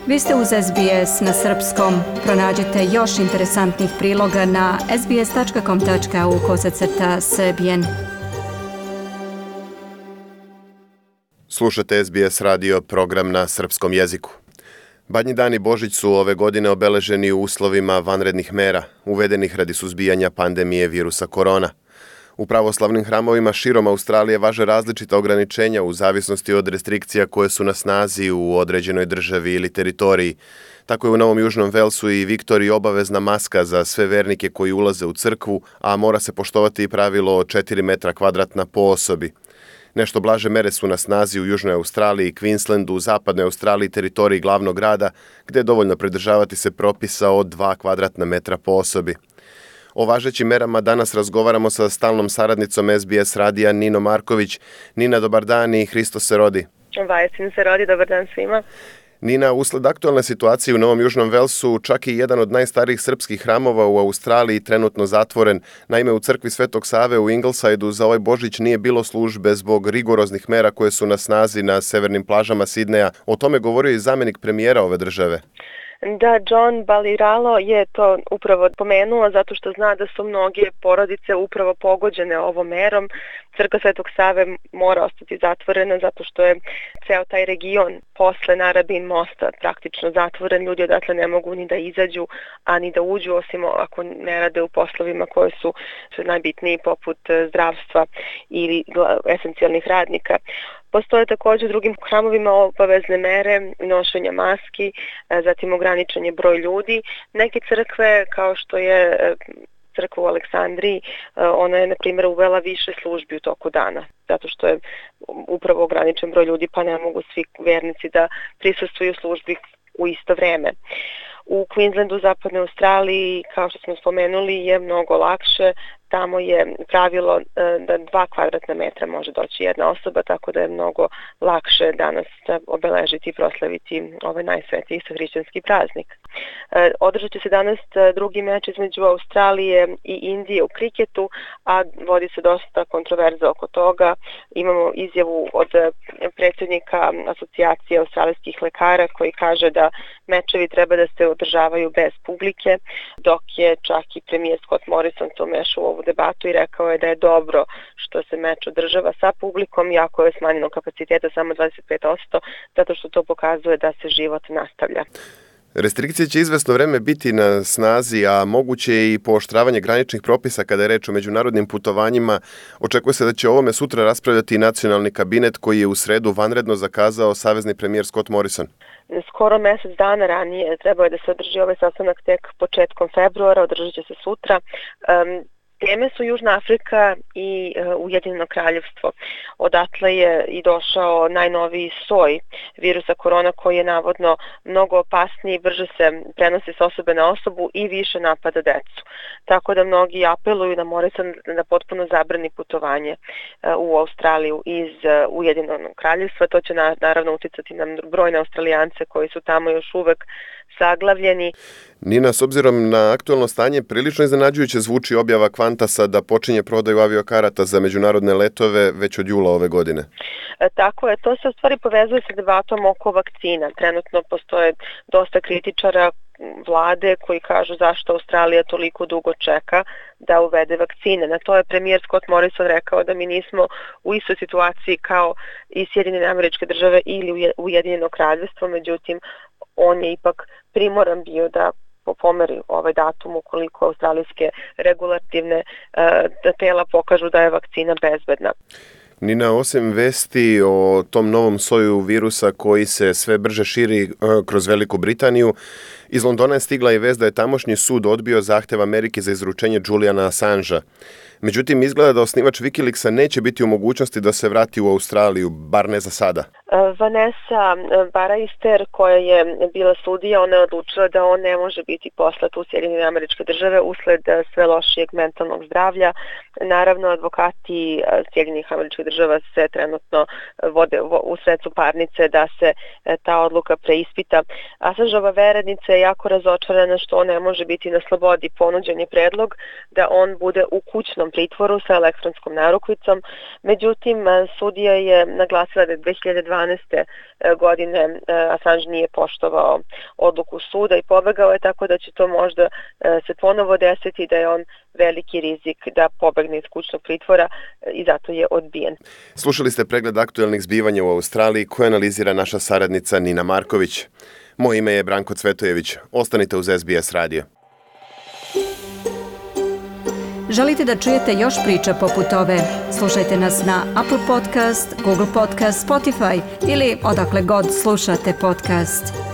Vi ste uz SBS na srpskom. Pronađite još interesantnih priloga na sbs.com.au/srbijen. Slušate SBS radio, program na srpskom jeziku. Badnji dan i Božić su ove godine obeleženi u uslovima vanrednih mera, uvedenih radi suzbijanja pandemije virusa korona. U pravoslavnim hramovima širom Australije važe različita ograničenja u zavisnosti od restrikcija koje su na snazi u određenoj državi ili teritoriji. Tako je u Novom Južnom Velsu i Viktoriji obavezna maska za sve vernike koji ulaze u crkvu, a mora se poštovati i pravilo od 4 metra kvadratna po osobi. Nešto blaže mere su na snazi u Južnoj Australiji, Queenslandu, Zapadnoj Australiji, teritoriji glavnog grada, gde je dovoljno pridržavati se propisa od 2 kvadratna metra po osobi. O važećim merama danas razgovaramo sa stalnom saradnicom SBS radija Ninom Marković. Nina, dobar dan i Hristos se rodi. Vajasin se rodi, dobar dan svima. Nina, usled aktualne situacije u Novom Južnom Velsu, čak i jedan od najstarijih srpskih hramova u Australiji trenutno zatvoren. Naime, u crkvi Svetog Save u Ingleside-u za ovaj Božić nije bilo službe zbog rigoroznih mera koje su na snazi na severnim plažama Sidneja. O tome govorio i zamjenik premijera ove države. Da, John Baliralo je to upravo pomenuo zato što zna da su mnoge porodice upravo pogođene ovom merom. Crkva Svetog Save mora ostati zatvorena zato što je ceo taj region posle Narabin mosta praktično zatvoren. Ljudi odatle ne mogu ni da izađu, a ni da uđu, osim ako ne rade u poslovima koji su najbitniji poput zdravstva ili esencijalnih radnika. Postoje također u drugim hramovima obavezne mere nošenja maski, zatim ograničen je broj ljudi. Neke crkve, kao što je crkva u Aleksandriji, ona je, na primjer, uvela više službi u toku dana, zato što je upravo ograničen broj ljudi, pa ne mogu svi vernici da prisustvuju službi u isto vreme. U Queenslandu, Zapadnoj Australiji, kao što smo spomenuli, je mnogo lakše. Tamo je pravilo da 2 kvadratna metra može doći jedna osoba, tako da je mnogo lakše danas obeležiti i proslaviti ovaj najsvetiji hrišćanski praznik. Održat će se danas drugi meč između Australije i Indije u kriketu, a vodi se dosta kontroverza oko toga. Imamo izjavu od predsjednika Asocijacije australijskih lekara koji kaže da mečevi treba da se održavaju bez publike, dok je čak i premijer Scott Morrison to umešao u ovu debatu i rekao je da je dobro što se meč održava sa publikom, iako je smanjeno kapaciteta samo 25%, zato što to pokazuje da se život nastavlja. Restrikcije će izvesno vreme biti na snazi, a moguće je i pooštravanje graničnih propisa kada je reč o međunarodnim putovanjima. Očekuje se da će o ovome sutra raspravljati i nacionalni kabinet koji je u sredu vanredno zakazao savezni premijer Scott Morrison. Skoro mjesec dana ranije trebao je da se održi ovaj sastanak tek početkom februara, održat će se sutra. Teme su Južna Afrika i Ujedinjeno Kraljevstvo. Odatle je i došao najnoviji soj virusa korona koji je navodno mnogo opasniji, brže se prenosi s osobe na osobu i više napada decu. Tako da mnogi apeluju na Morrison da potpuno zabrani putovanje u Australiju iz Ujedinjenog Kraljevstva. To će naravno uticati na brojne Australijance koji su tamo još uvek zaglavljeni. Nina, s obzirom na aktualno stanje, prilično iznenađujuće zvuči objava Qantasa da počinje prodaju aviokarata za međunarodne letove već od jula ove godine. Tako je, to se u stvari povezuje sa debatom oko vakcina. Trenutno postoje dosta kritičara vlade koji kažu zašto Australija toliko dugo čeka da uvede vakcine. Na to je premijer Scott Morrison rekao da mi nismo u istoj situaciji kao i Sjedinjene Američke Države ili Ujedinjeno Kraljevstvo, međutim on je ipak primoran bio da pomeri ovaj datum ukoliko australijske regulativne tela pokažu da je vakcina bezbedna. Nina, osim vesti o tom novom soju virusa koji se sve brže širi kroz Veliku Britaniju, iz Londona je stigla i vest da je tamošnji sud odbio zahtev Amerike za izručenje Juliana Assangea. Međutim, izgleda da osnivač Wikileaksa neće biti u mogućnosti da se vrati u Australiju, bar ne za sada. Vanessa Baraister, koja je bila sudija, ona je odlučila da on ne može biti poslat u Sjedinjene Američke Države usled sve lošijeg mentalnog zdravlja. Naravno, advokati Sjedinjenih Američkih Država se trenutno vode u sredcu parnice da se ta odluka preispita. Assangeova verednica je jako razočarana što on ne može biti na slobodi. Ponuđen je predlog da on bude u kućnom pritvoru sa elektronskom narukvicom. Međutim, sudija je naglasila da 2012. godine Assange nije poštovao odluku suda i pobegao je, tako da će to možda se ponovo desiti, da je on veliki rizik da pobegne iz kućnog pritvora i zato je odbijen. Slušali ste pregled aktuelnih zbivanja u Australiji koje analizira naša saradnica Nina Marković. Moje ime je Branko Cvetojević. Ostanite uz SBS radio. Želite da čujete još priča poput ove? Slušajte nas na Apple Podcast, Google Podcast, Spotify ili odakle god slušate podcast.